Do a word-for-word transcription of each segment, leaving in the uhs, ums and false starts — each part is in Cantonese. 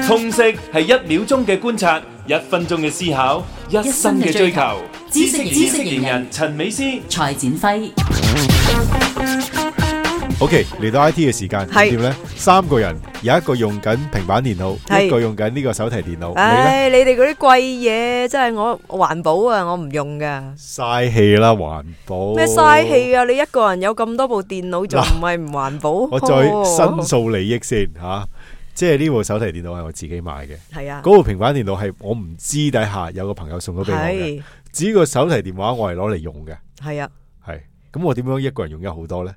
通識係一秒鐘嘅觀察，一分鐘嘅思考，一生嘅追求。知識知識型人陳美思、蔡展輝。OK， 嚟到 I T 嘅時間點咧？三個人有一個用緊平板電腦，一個用緊呢個手提電腦。唉，你哋嗰啲貴嘢真係我環保啊，我唔用噶。嘥氣啦，環保咩嘥氣啊？你一個人有咁多部電腦，仲唔係唔環保？我再申訴利益先吓，即係呢部手提電腦係我自己買嘅。係啊，嗰部平板電腦係我唔知底下有個朋友送咗俾我嘅。至於個手提電話我係攞嚟用嘅。係啊，係咁我點樣一個人用咗好多咧？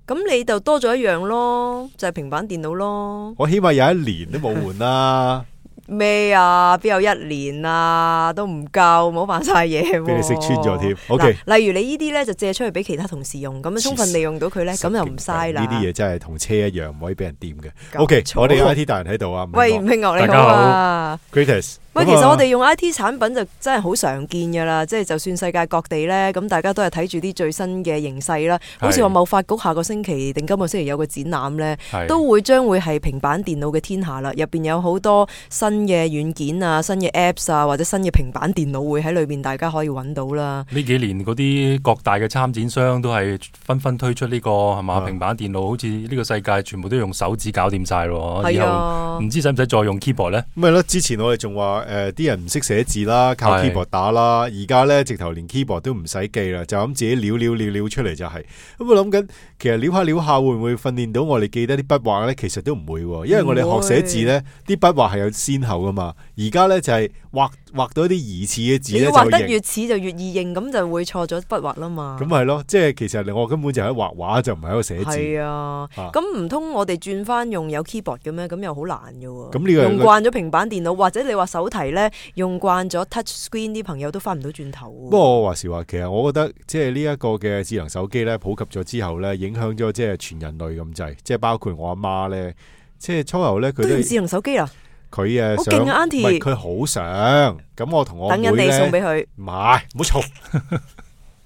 咁你就多咗一樣咯，就係平板電腦咯。我起碼有一年都冇換啦。咩啊？邊有一年啊？都唔夠，冇扮晒嘢。俾你識穿咗添。OK，例如你呢啲咧就借出去俾其他同事用，咁樣充分利用到佢咧，咁就唔嘥啦。呢啲嘢真係同車一樣，唔可以俾人掂嘅。OK，我哋 I T 大人喺度啊。喂，吳慶樂你好啊。Greatest。喂，其實我哋用 I T 產品就真係好常見噶啦，即係就算世界各地咧，咁大家都係睇住啲最新嘅形勢啦。好似話貿發局下個星期定今個星期有個展覽咧，都會將會係平板電腦嘅天下啦。入邊有好多新嘅軟件啊、新嘅 Apps 啊，或者新嘅平板電腦會喺裏邊，大家可以揾到啦。呢幾年嗰啲各大嘅參展商都係紛紛推出呢個係嘛平板電腦，好似呢個世界全部都用手指搞掂晒咯。以後唔知使唔使再用 keyboard 咧？咁係咯，之前我哋仲話。誒、呃，啲人唔識寫字啦，靠 keyboard 打啦，而家咧直頭連 keyboard 都唔使記啦，就咁自己撩撩撩撩出嚟就係、是。咁我諗緊，其實撩下撩下會唔會訓練到我哋記得啲筆畫咧？其實都唔會，因為我哋學寫字咧，啲筆畫係有先後噶嘛。而家咧就係畫畫到一啲疑似嘅字咧，就畫得越似就越易認，咁就會錯咗筆畫啦嘛。咁係咯，即係其實我根本就喺畫畫，就唔係喺度寫字。係啊，咁唔通我哋轉翻用有 keyboard 嘅咩？咁又好難嘅喎。咁呢個用慣咗平板電腦，或者你話手提咧，用慣咗 touch screen 啲朋友都翻唔到轉頭。不過我話時話，其實我覺得即係呢一個嘅智能手機咧普及咗之後咧，影響咗即係全人類咁滯，即係包括我阿媽咧，即係初頭咧佢都用智能手機啊。佢誒好勁啊 Auntie 唔係佢好想，咁我同我妹咧，等緊你送俾佢，唔係，唔好嘈，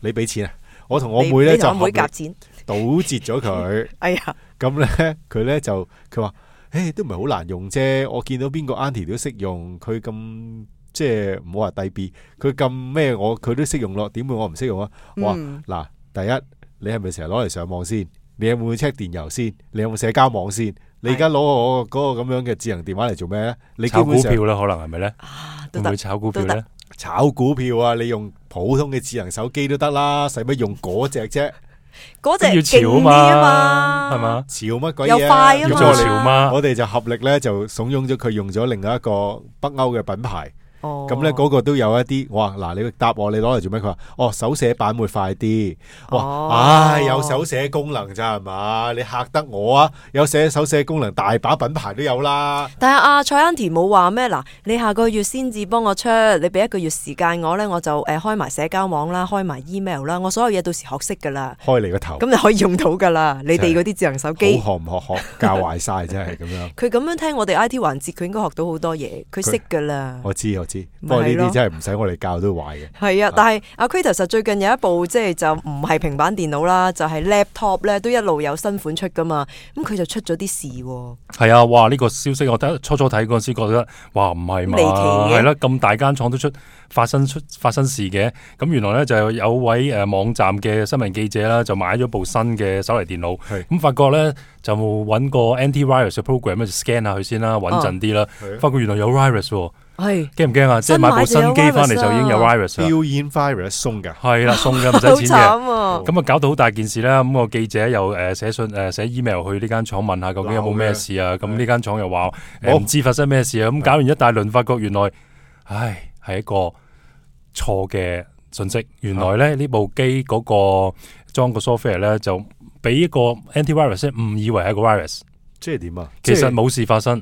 你俾錢啊！我同我妹咧就夾錢堵截咗佢。哎呀，咁咧佢咧就佢話，誒都唔係好難用啫，我見到邊個 Auntie 都識用，佢咁即係唔好話低 B， 佢咁咩我佢都識用咯，點會我唔識用啊？我話嗱，第一你係咪成日攞嚟上網先？你有冇 check 電郵先？你有冇社交網先？你而家攞我嗰個咁樣嘅智能電話嚟做咩咧？你基本上炒股票啦，可能係咪咧？會唔會炒股票咧？炒股票啊！你用普通嘅智能手機都得啦，使乜用嗰隻啫？嗰隻勁啲啊嘛，係嘛？潮乜鬼嘢？又快啊嘛！叫做潮嘛？我哋就合力咧，就慫恿咗佢用咗另外一個北歐嘅品牌。咁咧嗰個都有一啲，我話嗱，你答我，你攞嚟做咩？佢話哦，手寫版會快啲。哇，唉，有手寫功能咋係嘛？你嚇得我啊！有寫手寫功能，大把品牌都有啦。但係阿蔡 Auntie 冇話咩？嗱，你下個月先至幫我出，你俾一個月時間我咧，我就誒開埋社交網啦，開埋 email 啦，我所有嘢到時學識噶啦。開你個頭，咁就可以用到噶啦。你哋嗰啲智能手機，好學唔學學教壞晒，真係咁樣。佢咁樣聽我哋 I T 環節，佢應該學到好多嘢，佢識噶啦。我知我知，不過呢啲真係唔使我哋教都壞嘅。係啊，但係阿 Kratos 最近有一部即係就唔係平板電腦啦，就係 laptop 咧，都一路有新款出噶嘛。咁佢就出咗啲事。係啊，哇！呢個消息我第一初初睇嗰陣時覺得，哇，唔係嘛，係啦，咁大間廠都出發生出發生事嘅。咁原來咧就有位誒網站嘅新聞記者啦，就買咗部新嘅手提電腦。咁發覺咧就揾個 anti-virus 嘅 program 咧就 scan 下佢先啦，穩陣啲啦。發覺原來有 virus。係驚唔驚啊？即係買部新機翻嚟就已經有 virus 啦。Built-in virus 送噶，係啦，送嘅唔使錢嘅。咁啊搞到好大件事啦。咁個記者又誒寫信誒寫 email 去呢間廠問下究竟有冇咩事啊？咁呢間廠又話誒唔知發生咩事啊？咁搞完一大輪，發覺原來唉係一個錯嘅信息。原來咧呢部機嗰個裝個 software 咧就俾一個 anti-virus 誤以為係一個 virus。即係點啊？其實冇事發生。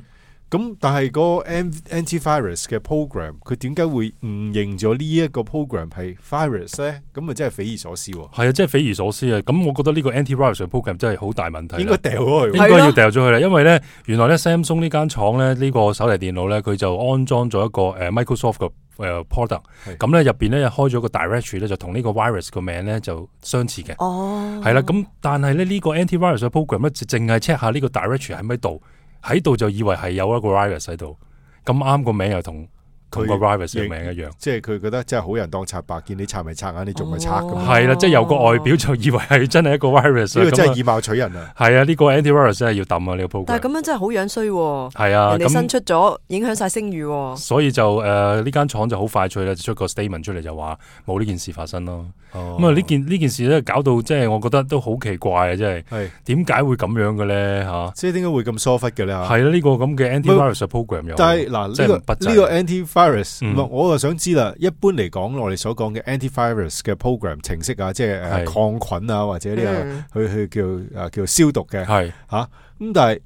咁但係嗰個 anti-virus 嘅 program，佢點解會誤認咗呢一個 program 係 virus 咧？咁啊真係匪夷所思喎。係啊，真係匪夷所思啊！咁我覺得呢個 anti-virus 嘅 program 真係好大問題。應該掉咗佢，應該要掉咗佢啦。因為咧，原來咧 Samsung 呢間廠咧呢個手提電腦咧，佢就安裝咗一個誒 Microsoft 嘅誒 product。咁咧入邊咧開咗個 directory 咧，就同呢個 virus 個名咧就相似嘅。哦，係啦。咁但係咧呢個 anti-virus 嘅 program 咧，就淨係 check 下呢個 directory 喺咪度。喺度就以為係有一個 virus 喺度，咁啱個名又同同個 virus 嘅名一樣，即係佢覺得真係好人當賊白，見你賊咪賊眼，你仲咪賊咁。係啦，即係由個外表就以為係真係一個 virus。呢個真係以貌取人啊！係啊，呢個 anti-virus 真係要抌啊呢個 program。但係咁樣真係好樣衰喎。係啊，人哋新出咗，影響晒聲譽。所以就誒呢間廠就好快脆啦，就出個 statement 出嚟就話冇呢件事發生咯。咁啊呢件呢件事咧搞到即係我覺得都好奇怪啊！真係點解會咁樣嘅咧嚇？即係點解會咁疏忽嘅咧？係啦，呢個咁嘅 anti-virus program 有。但係嗱呢個呢個 anti-virus，嗯、我就想知啦。一般嚟講，我哋所講嘅 anti-virus 嘅 program 程式啊，即係誒抗菌啊，或者呢、這個、嗯、去去叫誒叫消毒嘅，係嚇咁。但係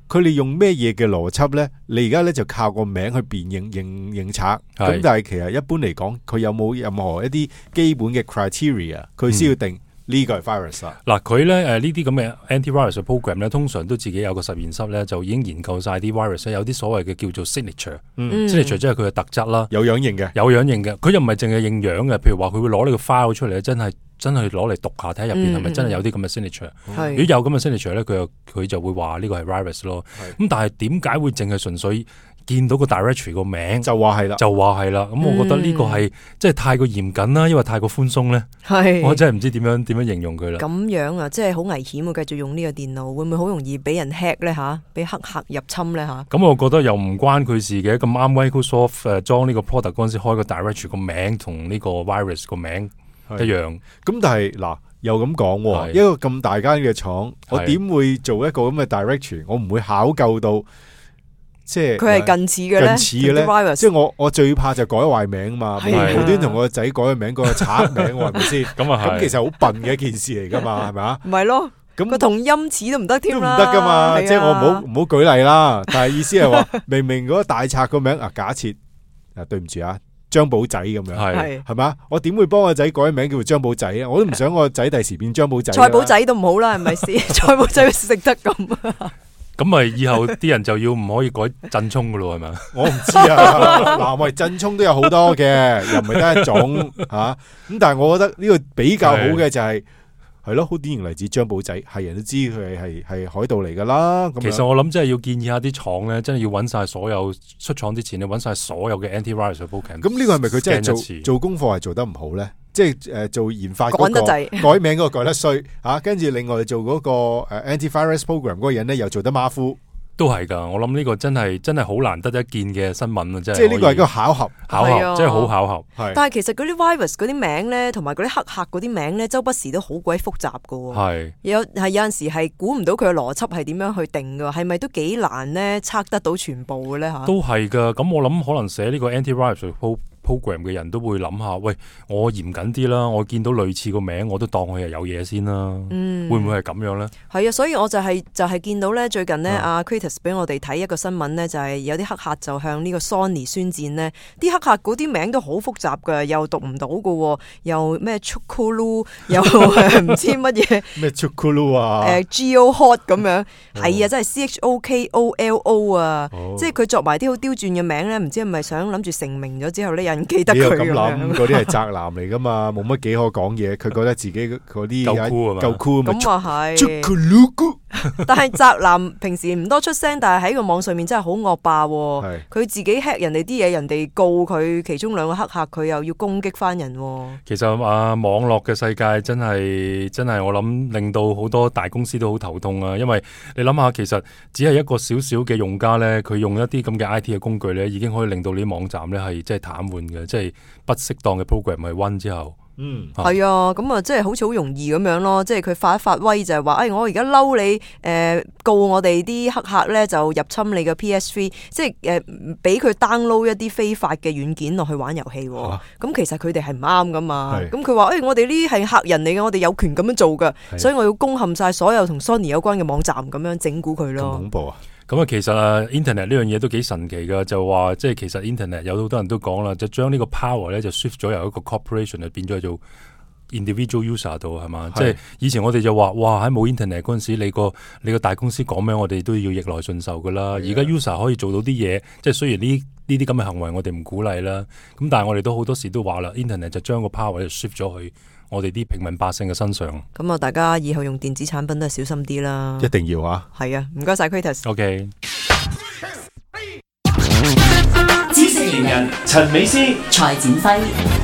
佢哋用咩嘢嘅邏輯咧？你而家咧就靠個名去辨認認認賊。咁但係其實一般嚟講，佢有冇任何一啲基本嘅 criteria， 佢先要定？嗯呢個係 virus 啊！嗱，佢咧誒呢啲咁嘅 anti-virus program 咧，通常都自己有個實驗室咧，就已經研究晒啲 virus 有啲所謂嘅叫做 signature，signature、嗯、即係佢嘅特質啦，有樣型嘅，有樣型嘅。佢又唔係淨係認樣嘅，譬如話佢會攞呢個 file 出嚟，真係真係攞嚟讀下睇下入邊係咪真係有啲咁嘅 signature。嗯、如果有咁嘅 signature 咧，佢又佢就會話呢個係 virus 咯。咁但係點解會淨係純粹見到個 directory 個名就話係啦，就話係啦。咁我覺得呢個係即係太過嚴謹啦，因為太過寬鬆咧。係，我真係唔知點樣點樣形容佢啦。咁樣啊，即係好危險啊！繼續用呢個電腦，會唔會好容易俾人 hack 咧吓？俾黑客入侵咧吓？咁我覺得又唔關佢事嘅。咁啱 Microsoft 誒裝呢個 product 嗰陣時開個 directory 個名同呢個 virus 個名一樣。咁但係嗱，又咁講，一個咁大間嘅廠，我點會做一個咁嘅 directory？我唔會考究到。即係佢係近似嘅咧，近似嘅咧，即係我我最怕就改壞名嘛，無端同我個仔改個名，改個賊名，係咪先？咁啊咁其實好笨嘅一件事嚟噶嘛，係咪啊？唔係咯，咁個同音詞都唔得添啦，都唔得噶嘛。即係我唔好唔好舉例啦，但係意思係話，明明嗰個大賊個名啊，假設啊，對唔住啊，張寶仔咁樣，係係嘛？我點會幫個仔改名叫做張寶仔啊？我都唔想我個仔第時變張寶仔。蔡寶仔都唔好啦，係咪先？蔡寶仔食得咁。咁咪以後啲人就要唔可以改震聰噶咯，係咪？我唔知啊。嗱，喂，震聰都有好多嘅，又唔係得一種吓。咁、啊、但係我覺得呢個比較好嘅就係係咯，好典型例子張寶仔，係人都知佢係係海盜嚟噶啦。其實我諗真係要建議下啲廠咧，真係要揾晒所有出廠之前咧，揾晒所有嘅 anti-virus program。咁呢個係咪佢真係做做功課係做得唔好咧？即係誒做研發嗰個改名嗰個改得衰嚇，跟住另外做嗰個誒 anti-virus program 嗰個人咧又做得馬虎，都係㗎。我諗呢個真係真係好難得一見嘅新聞啊！真係。即係呢個係一個巧合，巧合真係好巧合。係。但係其實嗰啲 virus 嗰啲名咧，同埋嗰啲黑客嗰啲名咧，周不時都好鬼複雜㗎喎。係。有係有陣時係估唔到佢嘅邏輯係點樣去定㗎，係咪都幾難咧測得到全部嘅咧嚇？都係㗎。咁我諗可能寫呢個 anti-virus program 嘅人都會諗下，喂，我嚴謹啲啦，我見到類似個名，我都當佢係有嘢先啦。嗯，會唔會係咁樣咧？係啊，所以我就係、是、就係、是、見到咧，最近咧阿 Kratos 俾我哋睇一個新聞咧，就係、是、有啲黑客就向呢個 Sony 宣戰咧，啲黑客嗰啲名都好複雜㗎，又讀唔到㗎，又咩 Chocolo， 又唔知乜嘢咩 Chocolo 啊，誒 Geohot 咁樣，係啊，真係 C H O K O L O 啊，哦、即係佢作埋啲好刁鑽嘅名咧，唔知係咪想諗住成名咗之後咧？記得佢咁諗，嗰啲係宅男嚟噶嘛，冇乜幾可講嘢。佢覺得自己嗰啲夠酷啊嘛，夠酷咁啊係。但係宅男平時唔多出聲，但係喺個網上面真係好惡霸。佢自己 hack 人哋啲嘢，人哋告佢，其中兩個黑客佢又要攻擊翻人。其實啊，網絡嘅世界真係真係，我諗令到好多大公司都好頭痛啊。因為你諗下，其實只係一個少少嘅用家咧，佢用一啲咁嘅 I T 嘅工具咧，已經可以令到你啲網站咧係即係癱瘓嘅，即係不適當嘅 program 去 run 之後。嗯，係啊，咁啊，即係好似好容易咁樣咯，即係佢發一發威就係話，哎，我而家嬲你，誒、呃，告我哋啲黑客咧就入侵你嘅 P S 三，即係誒，俾、呃、佢 download 一啲非法嘅軟件落去玩遊戲，咁、啊、其實佢哋係唔啱噶嘛，咁佢話，誒，我哋呢啲係客人嚟嘅，我哋有權咁樣做噶，所以我要攻陷晒所有同 Sony 有關嘅網站，咁樣整蠱佢咯。咁恐怖啊！咁啊，其實啊，Internet 呢樣嘢都幾神奇噶，就話即係其實 Internet 有好多人都講啦，就將呢個 power 咧就 shift 咗由一個 corporation 啊變咗做 individual user 度係嘛？即係以前我哋就話哇喺冇 Internet 嗰陣時，你個你個大公司講咩，我哋都要逆來順受噶啦。而家 user 可以做到啲嘢，即係雖然呢呢啲咁嘅行為我哋唔鼓勵啦，咁但係我哋都好多時都話啦 ，Internet 就將個 power 就 shift 咗去我哋啲平民百姓嘅身上。咁啊，大家以後用電子產品都係小心啲啦。一定要啊！係啊，唔該晒 Kratos。OK。人陳美斯。蔡展輝。